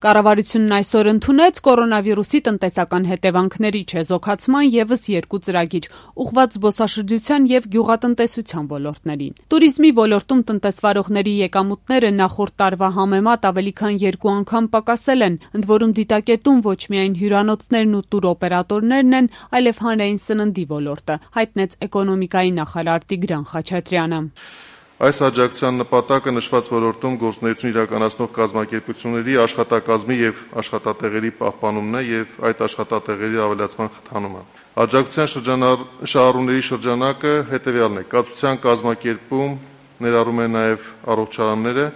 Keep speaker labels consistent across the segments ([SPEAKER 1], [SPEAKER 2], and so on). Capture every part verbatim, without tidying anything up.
[SPEAKER 1] Կառավարությունն այսօր ընդունեց կորոնավիրուսի տնտեսական հետևանքների չեզոքացման ևս երկու ծրագիր, ուղղված զբոսաշրջության եւ գյուղատնտեսության ոլորտներին։ Տուրիզմի ոլորտում տնտեսվարողների եկամուտները նախորդ տարվա համեմատ ավելի քան երկու անգամ պակասել են, ընդ որում դիտակետում ոչ միայն հյուրանոցներն ու տուրօպերատորներն են, այլև հանրային սննդի ոլորտը, հայտնեց էկոնոմիկայի նախարար Տիգրան Խաչատրյանը։
[SPEAKER 2] Այս աջակցության նպատակը նշված ոլորտում գործունեություն իրականացնող կազմակերպությունների աշխատակազմի եւ աշխատատեղերի պահպանումն է եւ այդ աշխատատեղերի ավելացման խթանումը։ Աջակցության շրջանառությունների շրջանակը հետեւյալն է. կացության կազմակերպում ներառում է նաեւ առողջարանները,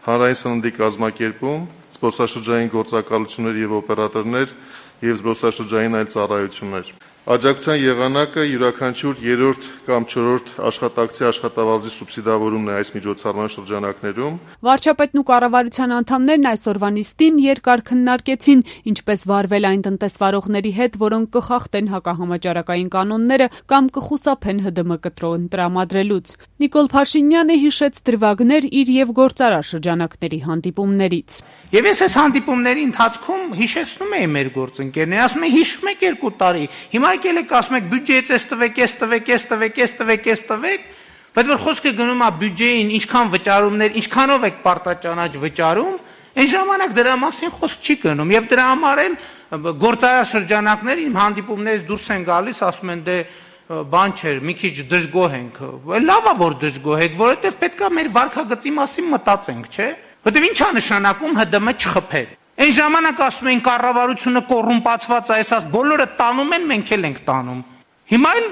[SPEAKER 2] հանրային սննդի կազմակերպում, զբոսաշրջային գործակալություններ եւ օպերատորներ եւ զբոսաշրջային այլ ծառայություններ։ Աջակցության եղանակը յուրաքանչյուր երրորդ կամ չորրորդ աշխատակցի աշխատավարձի սուբսիդավորումն է այս միջոցառման շրջանակներում։
[SPEAKER 1] Վարչապետն ու կառավարության անդամներն այսօրվա նիստին երկար քննարկեցին, ինչպես վարվել այն տնտեսվարողների հետ, որոնք կխախտեն հակահամաճարակային կանոնները կամ կխուսափեն ՀԴՄ կտրոն տրամադրելուց։ Նիկոլ Փաշինյանը հիշեց դրվագներ իր եւ գործարար շրջանակների հանդիպումներից։
[SPEAKER 3] Եվ ես այս հանդիպումների ընթացքում հիշեցնում էի մեր գործընկերներին, ասում եմ հիշում եք երկու տարի, հիմա եկել եք ասում եք բյուջեից էս տվեք, էս տվեք, էս տվեք, էս տվեք, էս տվեք, բայց որ խոսքը գնում է բյուջեին, ինչքան վճարումներ, ինչքանով եք պարտաճանաչ վճարում, այն ժամանակ դրա մասին խոսք չի գնում, եւ դրա համար էլ գործարար շրջանակներ իմ հանդիպումներից դուրս են գալիս, ասում են դե բան չէր, մի քիչ դժգոհ ենք, լավ է որ դժգոհ եք, որովհետեւ պետքա մեր վարքագծի մասին մտածենք, չէ՞։ Որտեւ ի՞նչ է նշանակում ՀԴՄ չխփել։ Այն ժամանակ ասում են կառավարությունը կոռումպացված է, այսպես բոլորը տանում են, մենք էլ ենք տանում։ Հիմա էլ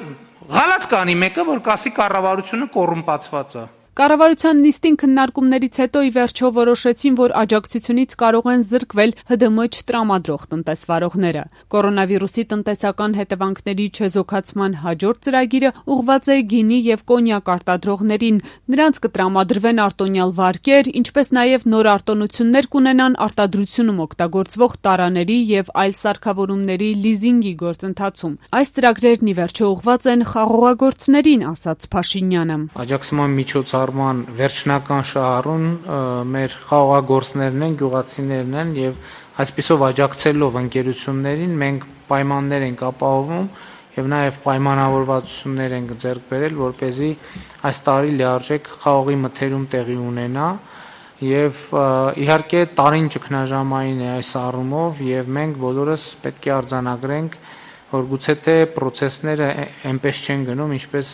[SPEAKER 3] գալատ կանի մեկը, որ կասի կառավարությունը կոռումպացված է։
[SPEAKER 1] Կառավարության նիստին քննարկումներից հետո ի վերջո որոշեցին, որ աջակցությունից կարող են զրկվել ՀԴՄ չտրամադրող տնտեսվարողները։ Կորոնավիրուսի տնտեսական հետևանքների չեզոքացման հաջորդ ծրագիրը ուղղված է գինի եւ կոնյակ արտադրողներին։ Նրանց կտրամադրվեն արտոնյալ վարկեր, ինչպես նաեւ նոր արտոնություններ կունենան արտադրությունում օգտագործվող տարաների եւ այլ սարքավորումների լիզինգի գործընթացում։ Այս ծրագրերն ի վերջո ուղղված են խաղողագործներին, ասաց Փաշինյանը։
[SPEAKER 3] Աջակցման միջոցառ վերջնական շահառուն մեր խաղողագործներն են, գյուղացիներն են եւ այսպիսով աջակցելով ընկերություններին մենք պայմաններ ենք ապահովում եւ նաեւ պայմանավորվածություններ ենք ձեռք բերել, որպեսզի այս տարի լիարժեք խաղողի մթերում տեղի ունենա եւ իհարկե տարին ճգնաժամային է այս առումով եւ մենք բոլորս պետք է արձանագրենք, որ գուցե թե պրոցեսները այնպես չեն գնում, ինչպես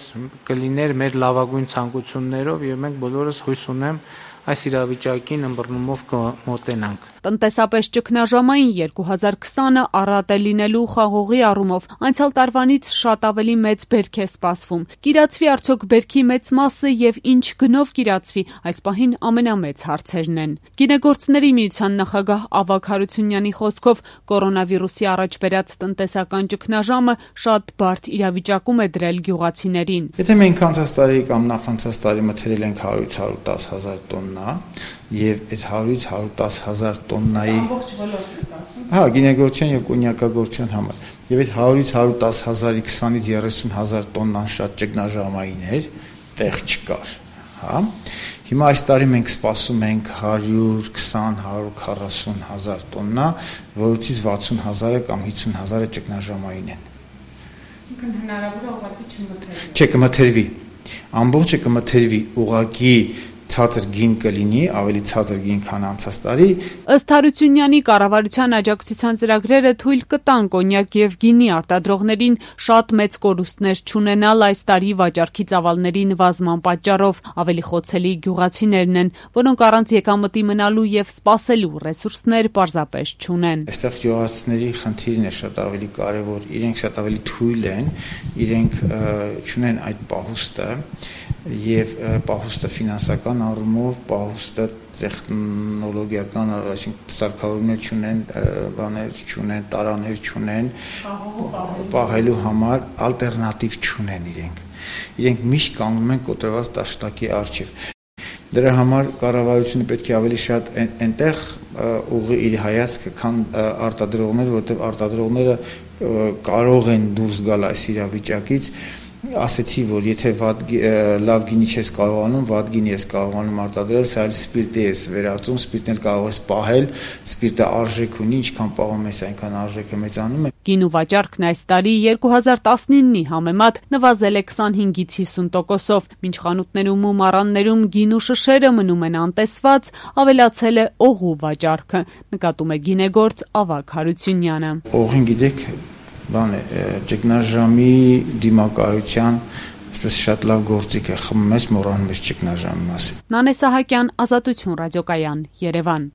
[SPEAKER 3] կլիներ մեր լավագույն ցանկություններով եւ մենք բոլորս հույս ունեմ այս իրավիճակին ըմբռնումով կմոտենանք։
[SPEAKER 1] Տնտեսապես ճգնաժամային երկու հազար քսանը առատ է լինելու խաղողի առումով, անցյալ տարվանից շատ ավելի մեծ բերք է սպասվում։ Կիրացվի արդյոք բերքի մեծ մասը եւ ինչ գնով կիրացվի, այս պահին ամենամեծ հարցերն են։ Գինեգործների միության նախագահ Ավագ Հարությունյանի խոսքով կորոնավիրուսի առաջ բերած տնտեսական ճգնաժամը շատ բարդ իրավիճակում է դրել գյուղացիներին։
[SPEAKER 4] Եթե մենք անցած տարի կամ նախանցած տարի մթերել ենք հարյուր հարյուր տասը հազար տոննա եւ այս հարյուրից հարյուր տասը հազար տոննայի
[SPEAKER 1] ամբողջ ոլորտն ասում։
[SPEAKER 4] Հա, գինեգործության եւ կոնյակագործության համար։ Եվ այդ հարյուրից հարյուր տասը հազարի քսանից երեսուն հազար տոննան շատ ճգնաժամային էր, տեղ չկար, հա։ Հիմա այս տարի մենք սպասում ենք հարյուր քսան հարյուր քառասուն հազար տոննա, որից վաթսուն հազարը կամ հիսուն հազարը ճգնաժամային են։
[SPEAKER 1] Այսինքն հնարավոր է ուղղակի չմթերվի։
[SPEAKER 4] Չէ, կմթերվի։ Ամբողջը կմթերվի, ուղղակի ցածր գին կլինի, ավելի ցածր գին, քան անցած տարի։
[SPEAKER 1] Ըստ Հարությունյանի կառավարության աջակցության ծրագրերը թույլ կտան կոնյակ եւ գինի արտադրողներին շատ մեծ կորուստներ չունենալ այս տարի վաճառքի ծավալների նվազման պատճառով։ Ավելի խոցելի գյուղացիներն են, որոնք առանց եկամտի մնալու եւ սպասելու ռեսուրսներ պարզապես չունեն։
[SPEAKER 4] Այստեղ գյուղացիների խնդիրն է շատ ավելի կարեւոր, իրենք շատ ավելի թույլ են, իրենք չունեն այդ պահուստը եւ պահուստը ֆինանսական առումով, պահուստը տեխնոլոգիական, այսինքն սարքավորումներ չունեն, բաներ չունեն, տարաներ չունեն, պահելու համար ալտերնատիվ չունեն իրենք։ Իրենք միշտ կանգնում են կոտրված դաշտակի առջև։ Դրա համար կառավարությունը պետք է ավելի շատ այնտեղ ուղղի իր հայացքը, քան արտադրողները, որովհետեւ արտադրողները կարող են դուրս գալ այս իրավիճակից ասեցի, որ եթե վատ լավ գինի չես կարողանում, վատ գինի ես կարողանում արտադրել, սա էլ սպիրտի ես վերածում, սպիրտն էլ կարող ես պահել, սպիրտը արժեք ունի, ինչքան պահում ես, այնքան արժեքը մեծանում է։
[SPEAKER 1] Գինու վաճառքն այս տարի երկու հազար տասնինի համեմատ նվազել է քսանհինգից հիսուն տոկոսով, մինչ խանութներում ու մառաններում գինու շշերը մնում են անտեսված, ավելացել է օղու վաճառքը, նկատում է գինեգործ Ավագ Հարությունյանը։
[SPEAKER 4] Օղին գիտեք, բան է, ճգնաժամի դիմակայության այսպես շատ լավ գործիք է, խմում ես, մոռանում ես ճգնաժամի մասին։
[SPEAKER 1] Նանե Սահակյան, Ազատություն ռադիոկայան, Երևան։